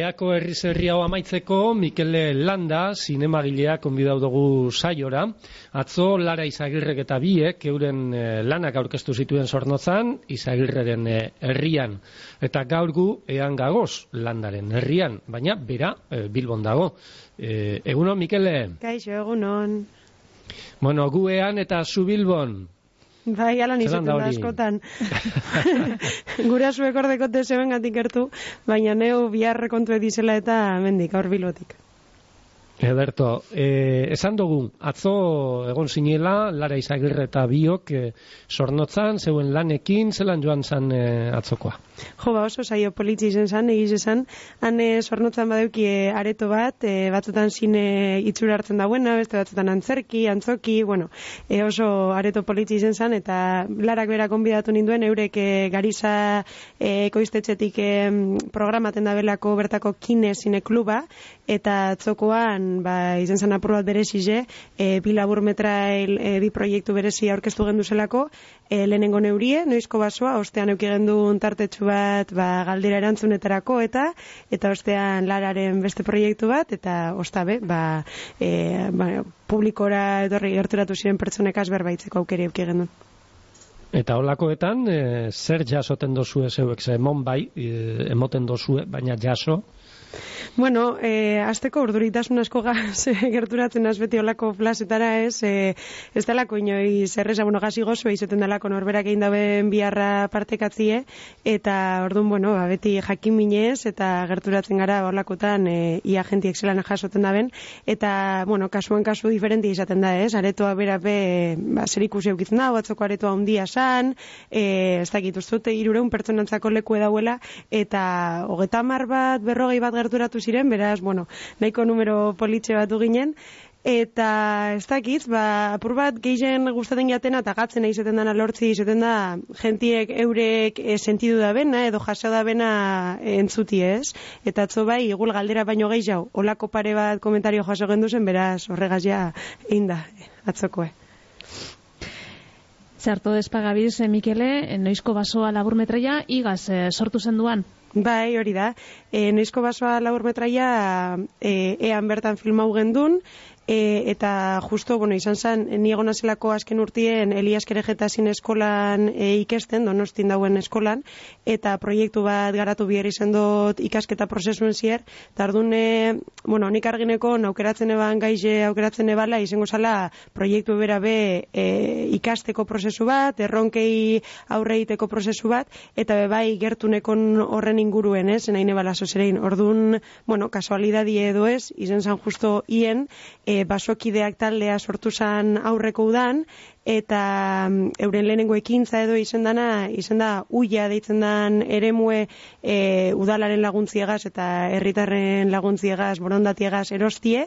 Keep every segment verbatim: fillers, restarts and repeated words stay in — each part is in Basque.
Eako herri zerri hau amaitzeko, Mikele Landa, zinemagilea konbidau dugu saiora. Atzo, Lara Izagirrek eta biek, euren eh, lanak aurkeztu zituen Zornotzan, Izagirreren eh, herrian. Eta gaur gu, ean gagoz, Landaren herrian, baina bera eh, Bilbon dago. Eh, egunon, Mikele? Kaixo, egunon. Bueno, gu ean eta zu Bilbon. Bai, alan izaten da askotan. Gura zuek ordekote zeben gatik gertu, baina neu biharre kontu edizela eta mendik, aur Bilbotik. Ederto, eh, esan dugu, atzo egon zinela, Lara Izagirre eta biok eh, Zornotzan, zeuen lanekin, zelan joan zan eh, atzokoa? Jo, ba oso saio politzi izen zan, egiz esan, han eh, Zornotzan badeuki eh, areto bat, eh, batzutan zine itxura hartzen dauena, beste batzutan antzerki, antzoki, bueno, eh, oso areto politzi izen zan, eta Larak bera konbidatu ninduen, eurek eh, Gariza eh, ekoiztetxetik eh, programaten dabelako bertako kine zine kluba, eta atzokoan ba, izen zan apur bat berezize, e, bi labur metrail, e, bi proiektu berezi aurkeztu gendu zelako, e, lehenengo neurie, noizko basoa, ostean euki gendu tartetxu bat ba, galdera erantzunetarako, eta eta ostean Lararen beste proiektu bat, eta ostabe, ba, e, ba, publikora etorri gerturatu ziren pertsonekaz berbaitzeko aukeri euki gendu. Eta holakoetan, e, zer jasoten dozue zeuek, ze emon bai, e, emoten dozue, baina jaso? Bueno, eh, azteko urduritasun asko gaz gerturatzen az beti olako plazetara ez, eh, ez dalako inoi zerreza, bueno, gazi gozo izaten dalako norberak egin daben biharra partekatzie, eta orduan, bueno, ba, beti jakin minez, eta gerturatzen gara olakotan eh, ia jentiek zelan jasoten daben, eta, bueno, kasuan kasu diferenti izaten da ez, aretoa berape, ba, zer ikusi eukitzen da, batzoko aretoa handia san, eh, ez dakit ustute irureun pertsonantzako leku edauela, eta hogeta hamar bat, berrogei bat gerturatu ziren, beraz, bueno, nahiko numero politxe batu ginen, eta ez dakit, ba, apur bat gehien gustaten jatena eta gatzen izaten dana lortzi izaten da jentiek eurek e, sentidu da bena edo jaso da bena e, entzuti ez, eta atzo bai, igul galdera baino gehiago, olako pare bat komentario jaso gendu zen, beraz, horregaz ja, inda, atzokoe. Zerto despagabiz, eh, Mikele, noizko basoa labur metraia, igaz eh, sortu zen duan? Bai, hori da. E, noizko basoa labur metraia e, ean bertan filmau gendun, e, eta justo, bueno, izan zen, ni egon azelako azken urtien Elias Kerejetazin eskolan e, ikesten, Donostin dauen eskolan, eta proiektu bat garatu bihar izan dut ikasketa prozesuen zier, eta ardun, e, bueno, nik argineko aukeratzen eban gaize aukeratzen ebala, izango zala proiektu bera be e, ikasteko prozesu bat, erronkei aurre egiteko prozesu bat, eta be bai gertunekon horren inguruen, ez, nahi nebala zozerein. Orduan, bueno, kasualidadi edo ez, izan zan justo hien, e, basokideak taldea sortu zan aurreko udan, eta um, euren lehenengo ekintza edo izen dana, izen da uia deitzen dan eremue e, udalaren laguntziegaz eta herritarren laguntziegaz, borondatiegaz erostie,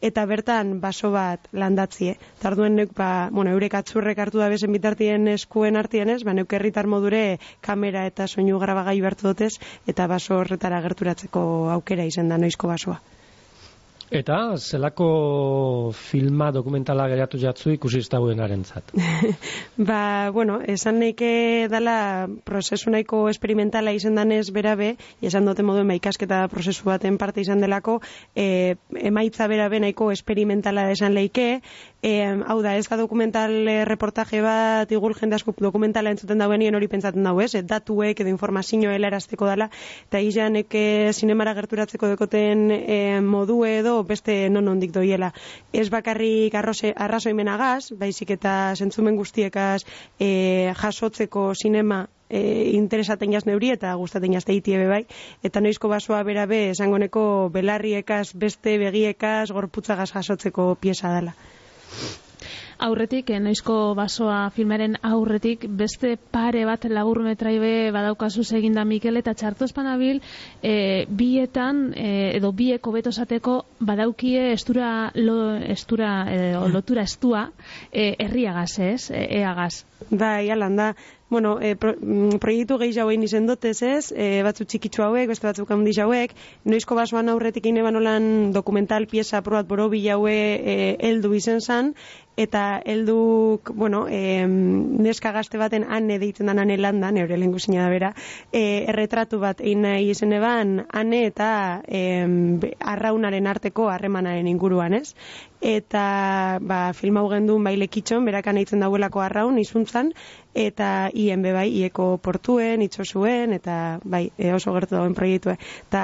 eta bertan baso bat landatzie. Tarduen neuk, ba, bueno, eurek atzurrek hartu da bezen bitartien eskuen artien ez, ba, neuk herritar modure kamera eta soinu grabagai bertu dotez, eta baso horretara gerturatzeko aukera izen da noizko basoa. Eta zelako filma dokumentala geratu jatzu ikusi iztauenaren zat? Ba, bueno, esan neike dala prozesu nahiko esperimentala izan danez berabe, esan dute moduen ba, ikasketa prozesu baten parte izan delako, e, emaitza berabe nahiko esperimentala esan leike, e, hau da, ez da dokumental e, reportaje bat, igul jende asko dokumentala entzuten dauenien hori pentsatzen dago ez, datuek edo informazioa helarazteko dala, eta izanek zinemara gerturatzeko dekoten e, modu edo beste non ondik doiela. Ez bakarrik arrazoimenagaz, baizik eta zentzumen guztiekaz e, jasotzeko sinema e, interesaten jaz neuri eta gustaten jazte itiebe bai, eta noizko basoa berabe esangoneko belarriekaz, beste begiekaz, gorputzagaz jasotzeko pieza dela. Aurretik, noizko basoa filmaren aurretik, beste pare bat labur metraibe badaukazu eginda Mikel, eta txarto espanabil, e, bietan, e, edo bieko betosateko badaukie estura, lo, estura e, lotura estua, e, herriagaz ez, e, eagaz. Bai, alan da. bueno, e, pro, proiektu gehi jauen izen dotez ez, e, batzu txikitsu hauek, beste batzuk handi hauek, noizko basoan aurretik ine banolan dokumental pieza probat borobi jaue e, heldu izen zan, eta helduk, bueno, e, neska gazte baten ane deitzen da ane landa, neure lehen guzina da bera, e, erretratu bat egin nahi izen eban, ane eta e, arraunaren arteko harremanaren inguruan, ez? Eta ba, film hau gendun bai lekitxon, berakan eitzen dauelako arraun, izuntzan, eta hien be bai, ieko portuen, itxosuen, eta bai, e, oso gertu dauen proiektua. Eta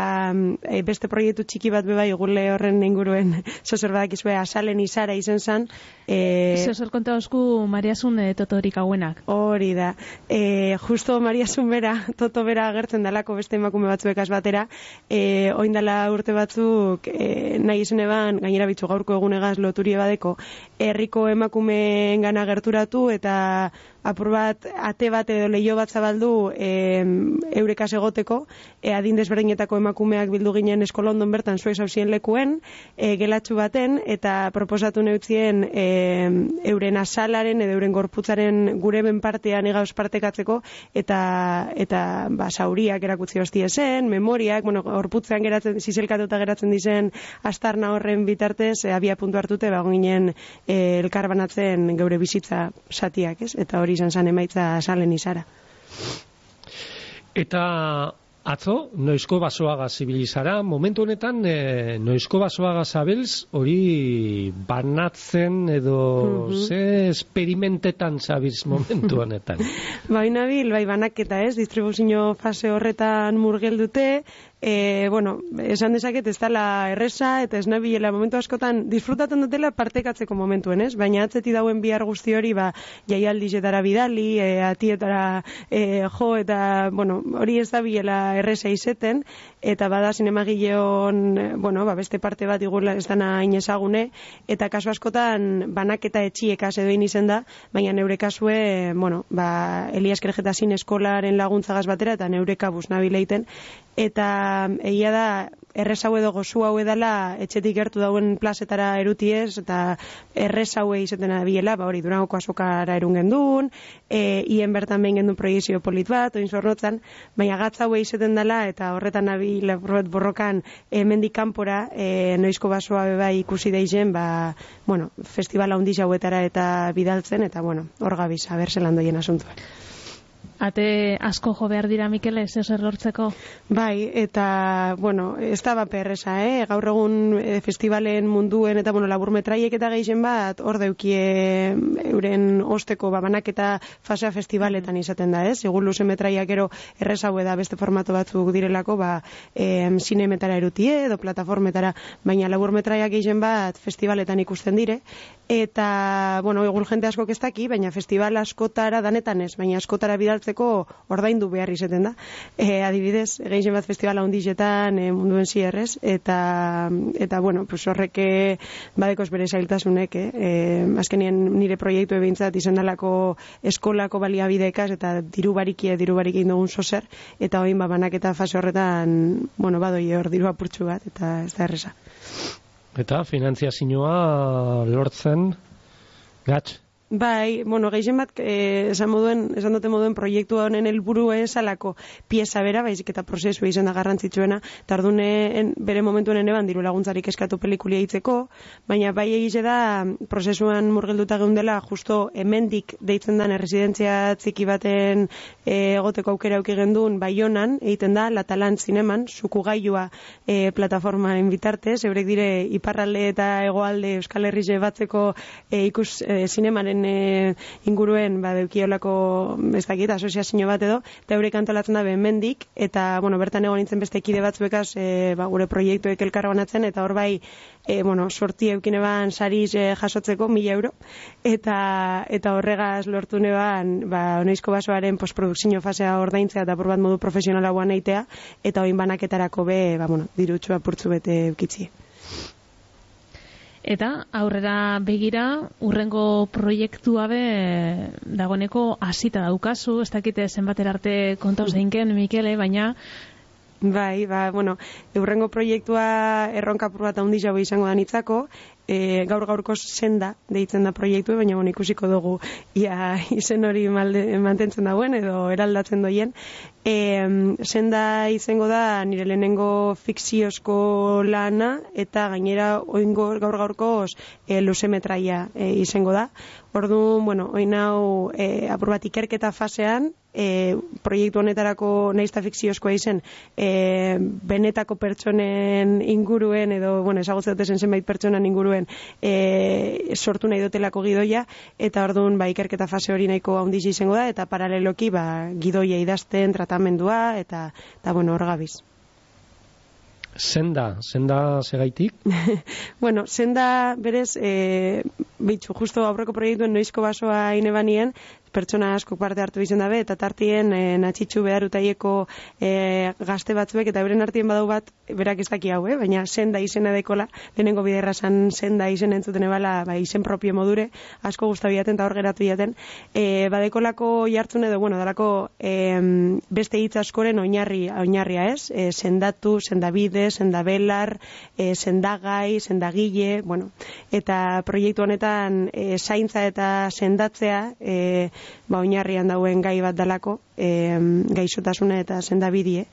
e, beste proiektu txiki bat be bai, gule horren inguruen, zozer badakizue, asalen izara izen zan. E, zozer konta osku Mariasun e, totorik hauenak. Hori da. E, justo Mariasun bera, toto bera agertzen dalako beste emakume batzuekaz batera, e, oindala urte batzuk e, nahi izen eban, gainera bitzu gaurko egunegaz loturie badeko, herriko emakumeen gana gerturatu eta apur bat, ate bat edo leio bat zabaldu e, eurekas egoteko, e, adin desberdinetako emakumeak bildu ginen eskolondon bertan zuez hausien lekuen, e, gelatxu baten, eta proposatu neutzien e, euren asalaren edo euren gorputzaren gure benpartean egauz partekatzeko, eta, eta ba, sauriak erakutzi hostie zen, memoriak, bueno, gorputzean geratzen, zizelkatuta geratzen dizen astarna horren bitartez, e, abia puntu hartute, ba, ginen e, elkar banatzen geure bizitza satiak, ez? Eta hori izan zan emaitza salen izara. Eta atzo, noizko basoaga zibilizara, momentu honetan e, noizko basoaga zabelz hori banatzen edo mm-hmm. ze esperimentetan zabiz momentu honetan. Bai nabil, bai banaketa ez, distribuzio fase horretan murgeldute, E, bueno, esan dezaket ez dela erresa eta ez nabilela momentu askotan disfrutatzen dutela partekatzeko momentuen, ez? Baina atzeti dauen bihar guzti hori, ba, jaialdizetara bidali, e, atietara e, jo, eta, bueno, hori ez da bilela erresa izeten, eta bada zinemagileon, bueno, ba, beste parte bat igula ez dana inezagune, eta kasu askotan banaketa etxiekaz edo izen da, baina neure kasue, bueno, ba, Elias Keregetazin eskolaren laguntzagaz batera, eta neureka bus nabileiten, eta egia da errez hau edo gozu hau edala etxetik gertu dauen plazetara erutiez, eta errez hau izaten biela, ba hori Durangoko azokara erun gendun, e, hien bertan behin gendun proiezio polit bat, oin zorrotzan, baina gatza hau izaten dela, eta horretan nabil borrokan hemendik kanpora, e, noizko basoa beba ikusi deizen, ba, bueno, festivala handiz hauetara eta bidaltzen, eta bueno, hor gabiz, haber zelan doien asuntua. Ate asko jo behar dira, Mikel, ez ez errortzeko? Bai, eta, bueno, ez da bat perresa, eh? Gaur egun e, festivalen munduen eta, bueno, laburmetraiek eta geixen bat, hor deukie euren osteko babanak eta fasea festivaletan izaten da, ez? Egun luze metraiak ero errezau da beste formato batzuk direlako, ba, e, zinemetara erutie edo plataformetara, baina laburmetraiak geixen bat festivaletan ikusten dire, eta, bueno, egun jente askok ez daki, baina festival askotara danetan ez, baina askotara bidaltzen ordaindu behar izaten da. E, adibidez, gehien bat festivala hundizetan e, munduen zierrez, eta, eta bueno, pues horreke badekos bere zailtasunek, eh? E, azkenien nire proiektu ebintzat izan dalako eskolako baliabidekaz, eta diru barikie, diru barikie indogun zozer, eta hoin babanak eta fase horretan, bueno, badoi hor diru apurtxu bat, eta ez da erresa. Eta finanziazioa lortzen gatz? Bai, bueno, gehien bat, eh, esan moduen, esan dute moduen proiektu honen helburu esalako pieza bera, baizik eta prozesu izan da garrantzitsuena, eta ordune bere momentuen eban diru laguntzarik eskatu pelikulia hitzeko, baina bai egize da prozesuan murgilduta geundela, justo hemendik deitzen den erresidentzia txiki baten e, egoteko aukera auki gendun Baionan, egiten da, Latalan zineman, sukugailua e, plataformaren bitartez, eurek dire iparralde eta hegoalde Euskal Herrize batzeko e, ikus e, zinemaren E, inguruen ba, deukiolako ez dakit, asoziazio bat edo, eta eurek antolatzen da hemendik, eta bueno, bertan egon nintzen beste ekide batzuekaz e, ba, gure proiektuek elkar banatzen, eta hor bai e, bueno, sorti eukine ban sariz e, jasotzeko mila euro, eta, eta horregaz lortu neban ba, noizko basoaren postprodukzio fasea ordaintzea eta por bat modu profesionala guan eitea, eta oin banaketarako be, ba, bueno, dirutxua purtzu bete eukitzi. Eta aurrera begira, urrengo proiektua be dagoneko hasita daukazu, ez dakite zenbater arte kontauz deinken, Mikele, baina Bai, ba, bueno, urrengo proiektua erronkapur bat handi jau izango da nitzako, e, gaur gaurko senda deitzen da proiektu, baina bueno, ikusiko dugu ia izen hori malde, mantentzen dauen edo eraldatzen doien. E, senda izango da nire lehenengo fikziozko lana eta gainera oingo gaur gaurkoz e, luzemetraia e, izango da. Orduan, bueno, oin hau e, apur bat ikerketa fasean, e, proiektu honetarako naizta fikziozkoa izen, e, benetako pertsonen inguruen edo, bueno, ezagutzen duten zenbait pertsonan inguruen e, sortu nahi dutelako gidoia, eta orduan ba, ikerketa fase hori nahiko handiz izango da, eta paraleloki ba, gidoia idazten, tratamendua, eta, eta bueno, hor gabiz. Senda, senda segaitik? Bueno, senda berez, e, bitxu, justo aurreko proiektuen noizko basoa inebanien, pertsona asko parte hartu izan dabe, eta tartien e, natxitxu behar utaieko e, gazte batzuek, eta beren artien badau bat, berak ez daki hau, eh? Baina senda izena dekola, lehenengo biderra zan senda izen entzuten ebala, ba, izen propio modure, asko guztabiaten eta hor geratu jaten, e, badekolako jartzun edo, bueno, dalako e, beste hitz askoren oinarri, oinarria ez, e, sendatu, sendabide, sendabelar, e, sendagai, sendagile, bueno, eta proiektu honetan e, zaintza eta sendatzea, e, ba, oinarrian dauen gai bat dalako, e, gaixotasuna eta sendabidie,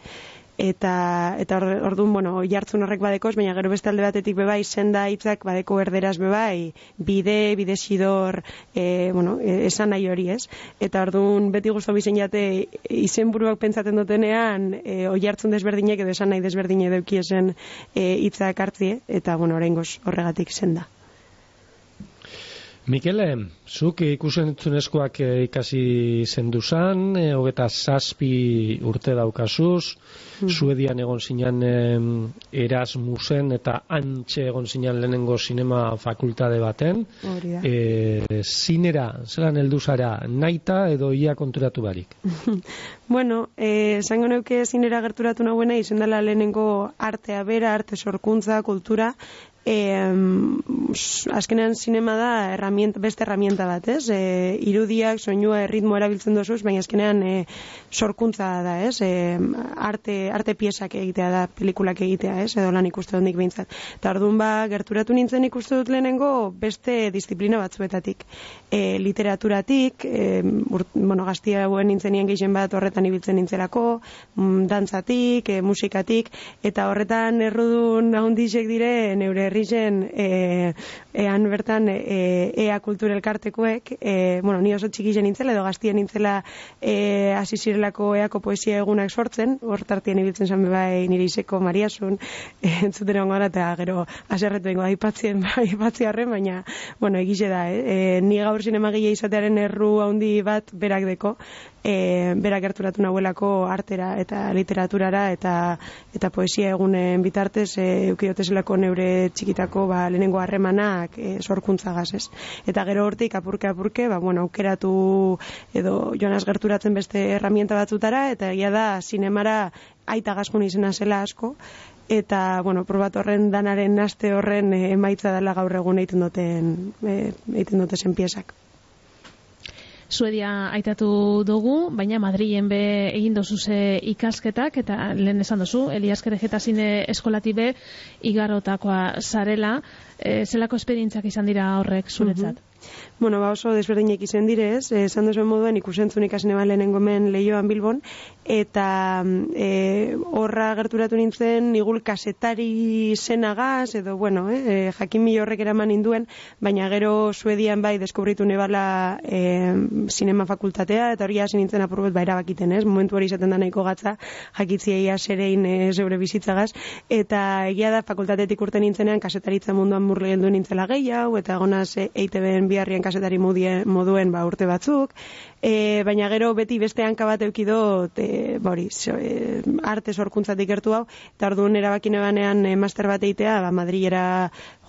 eta eta orduan, bueno, jartzun horrek badekoz, baina gero beste alde batetik bebai senda hitzak badeko erderaz bebai, bide, bide xidor, e, bueno, e, esan nahi hori ez, eta orduan beti guztu bizen jate izenburuak pentsaten dutenean, e, oi jartzun desberdinek edo esan nahi desberdine deukiesen hitzak e, hartzie, eta bueno, oraingoz horregatik senda. Mikele, zuk ikusentzunezkoak ikasi zenduzan, e, hogeta zazpi urte daukazuz, mm. Suedian egon zinan e, Erasmusen eta antxe egon zinan lehenengo sinema fakultate baten. E, zinera, zelan heldu zara, naita edo ia konturatu barik? Bueno, esango eh, neuke zinera gerturatu nahuena izen dela lehenengo artea bera, arte sorkuntza, kultura. E, azkenean zinema da herramienta, beste herramienta bat, ez? E, irudiak, soinua, erritmo erabiltzen dozuz, baina azkenean e, sorkuntza da, ez? E, arte, arte piezak egitea da, pelikulak egitea, ez? Edo lan ikuste hondik behintzat. Eta orduan ba, gerturatu nintzen ikuste dut lehenengo beste disiplina batzuetatik. E, literaturatik, e, urt, bueno, gaztia hauen nintzenien gehien bat horretan ibiltzen nintzelako, dantzatik, e, musikatik, eta horretan errudun ahondizek dire neure herrizen e, ean bertan e, ea kultura elkartekoek, e, bueno, ni oso txiki nintzela edo gaztien nintzela e, asizirelako eako poesia egunak sortzen, hor tartien ibiltzen zan bebai nire izeko Mariasun, e, entzuten egon gara, eta gero aserretu dengo aipatzien, aipatziarren, baina, bueno, egize da, eh? E, ni gaur zinemagile izatearen erru handi bat berak deko, e, berak gerturatu nahuelako artera eta literaturara eta eta poesia egunen bitartez e, eukiotezelako neure txikitako ba, lehenengo harremanak e, sorkuntzagaz, ez? Eta gero hortik apurke apurke, ba, bueno, aukeratu edo joanaz gerturatzen beste herramienta batzutara, eta egia da zinemara aita gazkun izena zela asko, eta, bueno, probat horren danaren aste horren e, emaitza dela gaur egun egiten duten e, egiten duten zen piezak. Suedia aitatu dugu, baina Madrilen be egin dozuze ikasketak, eta lehen esan dozu, Elias Kerejeta zine eskolati be igarotakoa zarela, e, zelako esperientziak izan dira horrek zuretzat? Mm-hmm. Bueno, ba oso desberdinek izan direz, esan duzuen moduen ikusentzun ikasine ba lehenengo hemen Leioan Bilbon, eta e, horra gerturatu nintzen igul kasetari zenagaz, edo bueno, e, jakin mila horrek eraman ninduen, baina gero Suedian bai deskubritu nebala e, sinema fakultatea, eta hori hasi nintzen apurbet ba erabakiten, ez? Momentu hori izaten da nahiko gatza, jakitziei aserein e, zeure bizitzagaz, eta egia da fakultatetik urte nintzenean kasetaritza munduan murgildu nintzela gehiago, eta egonaz e, E I T B-en biharrien kasetari moduen ba, urte batzuk, e, baina gero beti beste hanka bat eukidot e, bori, so, e, arte sorkuntzatik gertu hau, eta orduan erabakine banean e, master bat eitea, ba, Madrilera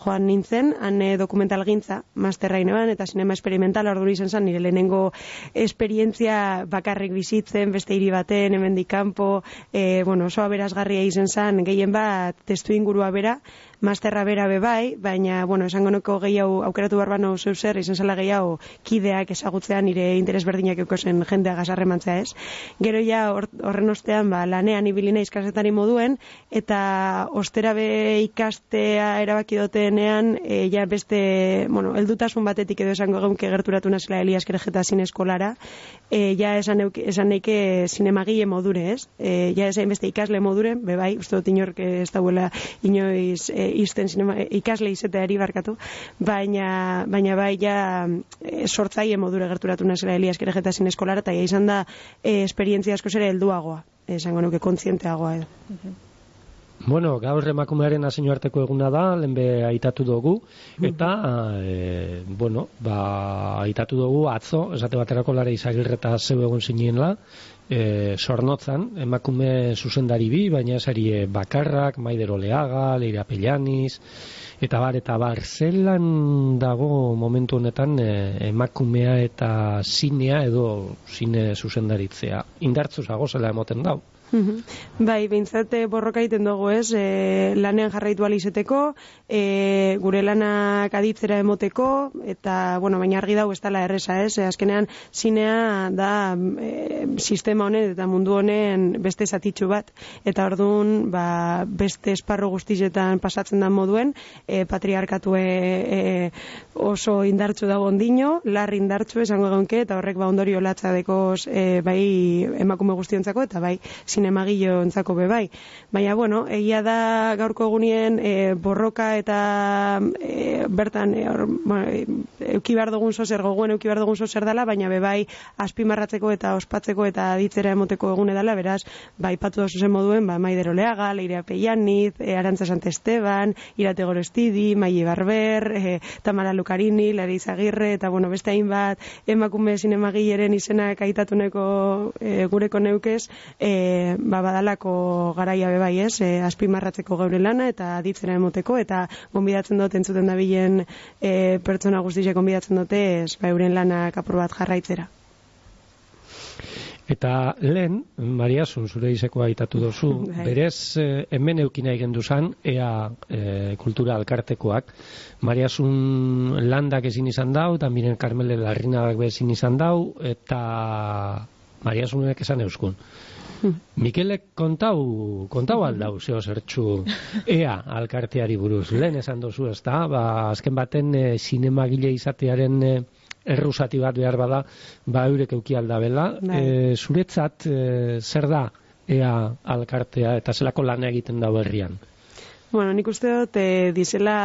joan nintzen, han e, dokumentalgintza masterra ineban, eta sinema experimental, orduan izan zen, nire lehenengo esperientzia bakarrik bizitzen, beste hiri baten, hemendik kanpo, e, bueno, oso aberazgarria izan zen, gehien bat testu ingurua bera, masterra bera bebai, baina, bueno, esango nuko gehiago aukeratu barbano zeu zer, izan zela gehiago kideak ezagutzea nire interes berdin desberdinak eukozen jendea gazarremantzea ez. Gero ja horren ostean ba, lanean ibili naiz kazetari moduen, eta ostera be ikastea erabaki dotenean, e, ja beste, bueno, heldutasun batetik edo esango geunke gerturatu nazela Elias Kerejeta zineskolara, e, ja esan, euk, esan neike zinemagile modure ez, e, ja esan beste ikasle modure, bebai, uste dut inork ez dauela inoiz e, izten sinema, ikasle izateari barkatu, baina, baina bai ja e, sortzaile modure gerturatu nazela Elias Kerejeta zineskolara, eta ja izan da e, esperientzia asko zere helduagoa, esango nuke kontzienteagoa edo. Uh-huh. Bueno, gaur emakumearen nazioarteko eguna da, lehenbe aitatu dugu, eta, e, bueno, ba, aitatu dugu atzo, esate baterako Lara Izagirre eta zeu egon zinenla, e, Zornotzan, emakume zuzendari bi, baina esari bakarrak, Maider Oleaga, Leira Pellaniz, eta bar, eta bar, zelan dago momentu honetan e, emakumea eta zinea edo zine zuzendaritzea. Indartzu zago zela emoten dau. Bai, behintzat borroka egiten dugu ez, e, lanean jarraitu alizeteko, e, gure lanak aditzera emoteko, eta, bueno, baina argi dau ez dela erresa ez, e, azkenean zinea da e, sistema honen eta mundu honen beste zatitxu bat, eta orduan ba, beste esparru guztizetan pasatzen da moduen, e, patriarkatu e, e, oso indartsu dago ondino, larri indartsu esango egonke, eta horrek ba ondorio latza dekoz e, bai emakume guztiontzako, eta bai zinemagilo entzako bebai. Baina, bueno, egia da gaurko egunien e, borroka eta e, bertan e, or, bueno, euki behar dugun zozer, gogoen euki behar dugun zozer dela, baina bebai azpimarratzeko eta ospatzeko eta aditzera emoteko egune dela, beraz, bai patu da zuzen moduen, ba, Maider Oleaga, Leira Pellaniz, e, Arantza Santesteban, Irate Gorostidi, Maile Barber, e, Tamara Lucarini, Lara Izagirre, eta, bueno, beste hainbat emakume zinemagileren izenak aitatuneko e, gureko neukez, e, ba, badalako garaia bebai ez, e, azpimarratzeko geure lana eta aditzera emoteko, eta gonbidatzen dut entzuten dabilen e, pertsona guztiak gonbidatzen dute ez, ba, euren lanak apur bat jarraitzera. Eta lehen, Mariasun, zure izekoa aitatu dozu, berez eh, hemen eukina egin duzan, ea eh, kultura alkartekoak, Mariasun landak ezin izan dau, eta miren Carmele Larrinadak ezin izan dau, eta Mariasunek esan euskun. Mikelek kontau, kontau aldau, zeo zertxu ea alkarteari buruz. Lehen esan dozu ez da, ba, azken baten e, zinemagile izatearen e, errusati bat behar bada, ba eurek euki aldabela. E, zuretzat, e, zer da ea alkartea eta zelako lana egiten dau herrian? Bueno, nik uste dut, e, dizela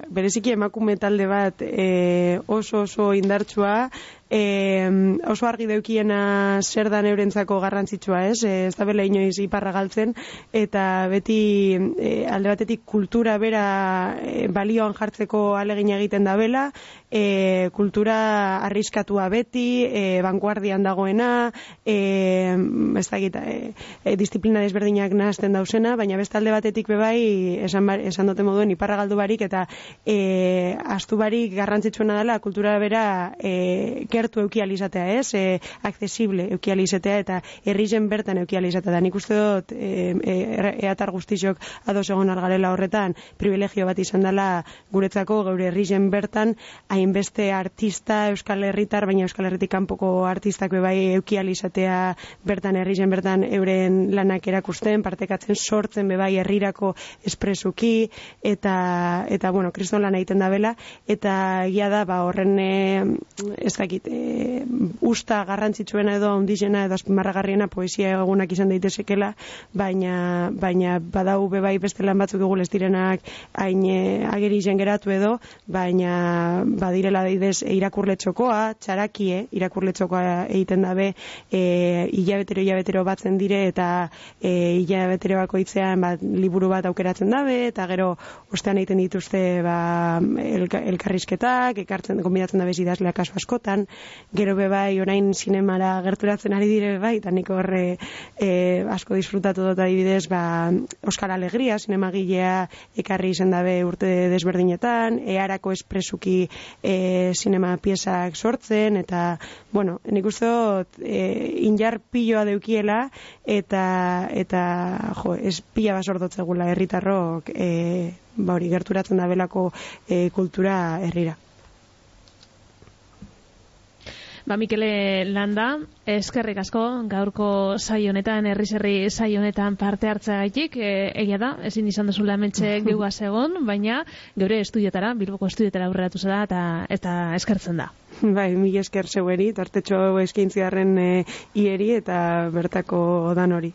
bereziki emakume talde bat e, oso oso indartsua, e, oso argi deukiena zer da neurentzako garrantzitsua ez, e, ez da bela inoiz iparra galtzen, eta beti e, alde batetik kultura bera e, balioan jartzeko alegin egiten da bela, e, kultura arriskatua beti, e, vanguardian dagoena, e, ez da gita, e, e, disiplina desberdinak nahazten dauzena, baina beste alde batetik bebai, esan, bar, esan dute moduen iparra galdu barik, eta e, astu barik garrantzitsuena dela kultura bera e, gertu eukializatea, ez? E, accesible eukializatea eta herrizen bertan eukializatea. Da nik uste dut e, e, eatar guztizok ados egon algarela horretan privilegio bat izan dela guretzako geure herrizen bertan hainbeste artista euskal herritar, baina euskal herritik kanpoko artistak bebai eukializatea bertan herrizen bertan euren lanak erakusten, partekatzen sortzen bebai herrirako espresuki eta, eta bueno, kriston lan egiten da bela, eta egia da, ba, horren e, ez dakit, E, usta garrantzitsuena edo handizena edo azpimarragarriena poesia egunak izan daitezekela, baina baina badau bebai beste lan batzuk dugu ez direnak hain e, ageri zen geratu edo, baina badirela daidez e, irakurletxokoa, txarakie, irakurletxokoa egiten dabe, e, hilabetero hilabetero batzen dire eta e, hilabetero bakoitzean bat, liburu bat aukeratzen dabe, eta gero ostean egiten dituzte ba, elka, elkarrizketak, ekartzen konbidatzen dabe idazleak kasu askotan, gero bebai orain zinemara gerturatzen ari dire bebai, eta nik horre e, asko disfrutatu dut adibidez, ba, Oskar Alegria, zinemagilea ekarri izan dabe urte desberdinetan, earako espresuki e, zinema piezak sortzen, eta, bueno, nik uste dut e, injar piloa deukiela, eta, eta jo, ez pila basordotzegula herritarrok e, ba hori, gerturatzen da belako e, kultura herrira. Ba, Mikele Landa, eskerrik asko gaurko saio honetan, herriz herri saio honetan parte hartzeagatik, e, egia da, ezin izan duzula hementxe geugaz egon, baina geure estudiotara, Bilboko estudiotara aurreratu zara eta eta eskertzen da. Bai, mila esker zeueri, tartetxo eskaintziarren e, ieri eta bertako dan hori.